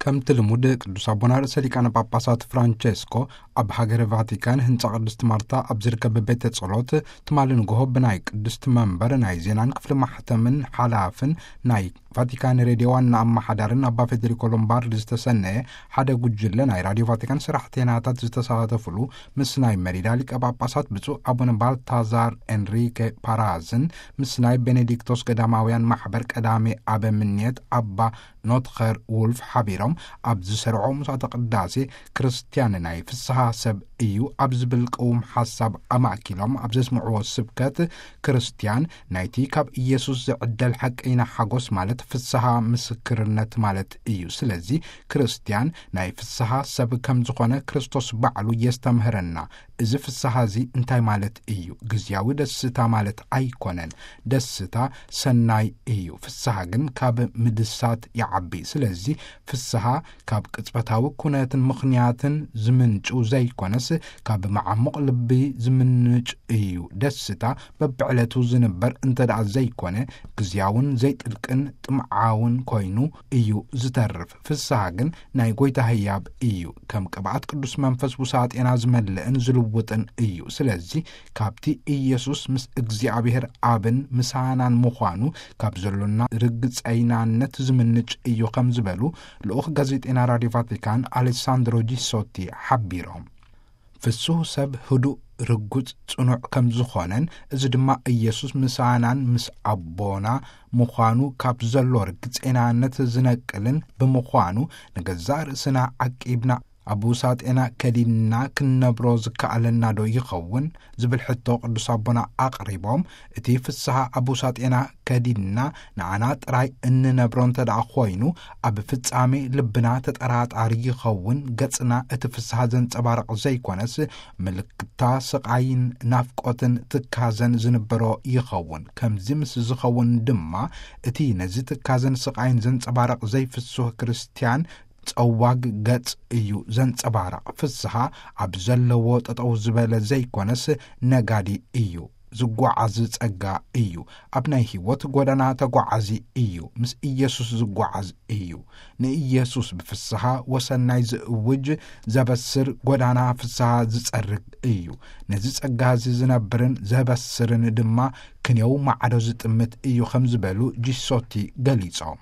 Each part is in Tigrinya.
ከምቲ ልሙድ ቅዱስ ኣቦና ርእሰ ሊቃነ ጳጳሳት ፍራንቸስኮ ኣብ ሃገረ ቫቲካን ህንጻ ቅድስት ማርታ ኣብ ዝርከብ ቤተ ጸሎት ትማሊ ንግሆ ብናይ ቅድስት መንበር ናይ ዜናን ክፍሊ ማሕተምን ሓላፍን ናይ ቫቲካን ሬድዮ ዋና ኣመሓዳርን ኣባ ፌዴሪኮ ሎምባርድ ዝተሰነየ ሓደ ጉጅለ ናይ ራድዮ ቫቲካን ሰራሕተኛታት ዝተሳተፉሉ ምስ ናይ መሪዳ ሊቀ ጳጳሳት ብፁዕ ኣቡነ ባልታዛር ኤንሪኬ ፓራዝን ምስ ናይ ቤኔዲክቶስ ገዳማውያን ማሕበር ቀዳሜ ኣበምኔት ኣባ ኖትኸር ውልፍ ሓቢሮም ኣብ ዝሰርዖ ምሳተ ቅዳሴ ክርስትያን ናይ ፍስሓ ሰብ እዩ ኣብ ዝብል ቅውም ሓሳብ ኣማእኪሎም ኣብ ዘስምዕዎ ስብከት ክርስትያን ናይቲ ካብ ኢየሱስ ዝዕደል ሓቀይና ሓጎስ ማለት ፍስሓ ምስክርነት ማለት እዩ። ስለዚ ክርስትያን ናይ ፍስሓ ሰብ ከም ዝኾነ ክርስቶስ ባዕሉ የስተምህረና። እዚ ፍስሓ እዚ እንታይ ማለት እዩ? ግዝያዊ ደስታ ማለት ኣይኮነን። ደስታ ሰናይ እዩ። ፍስሓ ግን ካብ ምድሳት ይዓቢ። ስለዚ ፍስሓ ካብ ቅጽበታዊ ኩነትን ምኽንያትን ዝምንጩ ዘይኮነስ ካብ መዓሙቕ ልቢ ዝምንጭ እዩ። ደስታ በብዕለቱ ዝንበር እንተ ደኣ ዘይኮነ ግዝያውን ዘይጥልቅን ጥምዓውን ኮይኑ እዩ ዝተርፍ። ፍስሓ ግን ናይ ጐይታ ህያብ እዩ። ከም ቅብኣት ቅዱስ መንፈስ ውሳጤና ዝመልእን ዝልውጥን እዩ። ስለዚ ካብቲ ኢየሱስ ምስ እግዚኣብሔር ኣብን ምሳናን ምዃኑ ካብ ዘሎና ርግጸይናነት ዝምንጭ እዩ ከም ዝበሉ ልኡኽ ጋዜጠና ራድዮ ቫቲካን ኣሌሳንድሮ ጂሶቲ ሓቢሮም። ፍሱህ ሰብ ህዱእ፣ ርጉጽ፣ ጽኑዕ ከም ዝኾነን እዚ ድማ ኢየሱስ ምሳናን ምስ ኣቦና ምዃኑ ካብ ዘሎ ርግጸይናነት ዝነቅልን ብምዃኑ ንገዛእ ርእስና ዓቂብና ኣብ ውሳጤና ከዲንና ክንነብሮ ዝከኣለና ዶ ይኸውን? ዝብል ሕቶ ቅዱስ ኣቦና ኣቕሪቦም፣ እቲ ፍስሓ ኣብ ውሳጤና ከዲንና ንዓና ጥራይ እንነብሮ እንተ ደኣ ኮይኑ ኣብ ፍጻሜ ልብና ተጠራጣሪ ይኸውን፣ ገጽና እቲ ፍስሓ ዘንጸባርቕ ዘይኮነስ ምልክታ ስቓይን ናፍቆትን ትካዘን ዝንበሮ ይኸውን። ከምዚ ምስ ዝኸውን ድማ እቲ ነዚ ትካዘን ስቓይን ዘንጸባርቕ ዘይፍሱህ ክርስትያን ጸዋግ ገጽ እዩ ዘንጸባርቕ። ፍስሓ ኣብ ዘለዎ ጠጠው ዝበለ ዘይኮነስ ነጋዲ እዩ። ዝጓዓዝ ጸጋ እዩ። ኣብ ናይ ህይወት ጎዳና ተጓዓዚ እዩ። ምስ ኢየሱስ ዝጓዓዝ እዩ። ንኢየሱስ ብፍስሓ ወሰናይ ዝእውጅ ዘበስር ጎዳና ፍስሓ ዝጸርግ እዩ። ነዚ ጸጋ እዚ ዝነብርን ዘበስርን ድማ ክንየው ማዕዶ ዝጥምት እዩ ከም ዝበሉ ጂሶቲ ገሊጾም።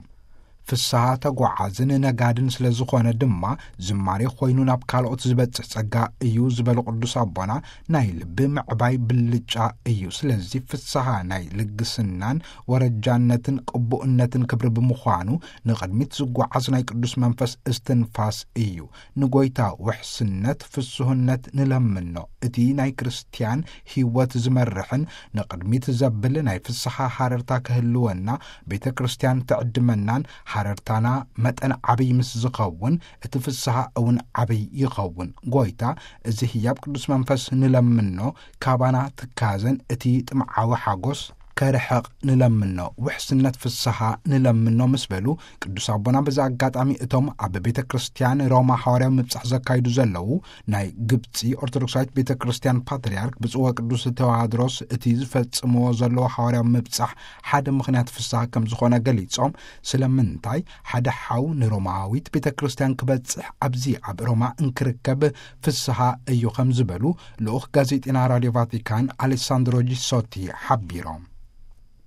ፍስሓ ተጓዓዝን ነጋድን ስለ ዝኾነ ድማ ዝማሬ ኮይኑ ናብ ካልኦት ዝበጽሕ ጸጋ እዩ ዝበሉ ቅዱስ ኣቦና ናይ ልቢ ምዕባይ ብልጫ እዩ። ስለዚ ፍስሓ ናይ ልግስናን ወረጃነትን ቅቡእነትን ክብሪ ብምዃኑ ንቕድሚት ዝጓዓዝ ናይ ቅዱስ መንፈስ እስትንፋስ እዩ። ንጎይታ ውሕስነት፣ ፍስህነት ንለምኖ። እቲ ናይ ክርስትያን ህይወት ዝመርሕን ንቕድሚት ዘብል ናይ ፍስሓ ሃረርታ ክህልወና ቤተ ክርስትያን ትዕድመናን ሃረርታና መጠን ዓብይ ምስ ዝኸውን እቲ ፍስሓ እውን ዓብይ ይኸውን። ጎይታ እዚ ህያብ ቅዱስ መንፈስ ንለምኖ ካባና ትካዘን እቲ ጥምዓዊ ሓጎስ ከርሕቕ ንለምኖ፣ ውሕስነት ፍስሓ ንለምኖ ምስ በሉ ቅዱስ ኣቦና በዚ ኣጋጣሚ እቶም ኣብ ቤተ ክርስትያን ሮማ ሓዋርያዊ ምብጻሕ ዘካይዱ ዘለዉ ናይ ግብጺ ኦርቶዶክሳዊት ቤተ ክርስትያን ፓትርያርክ ብፁዕ ወቅዱስ ቴዎድሮስ እቲ ዝፈጽምዎ ዘለዉ ሓዋርያዊ ምብጻሕ ሓደ ምኽንያት ፍስሓ ከም ዝኾነ ገሊጾም፣ ስለምንታይ ሓደ ሓው ንሮማዊት ቤተ ክርስትያን ክበጽሕ ኣብዚ ኣብ ሮማ እንክርከብ ፍስሓ እዩ ከም ዝበሉ ልኡኽ ጋዜጠና ራድዮ ቫቲካን ኣሌሳንድሮ ጂሶቲ ሓቢሮም።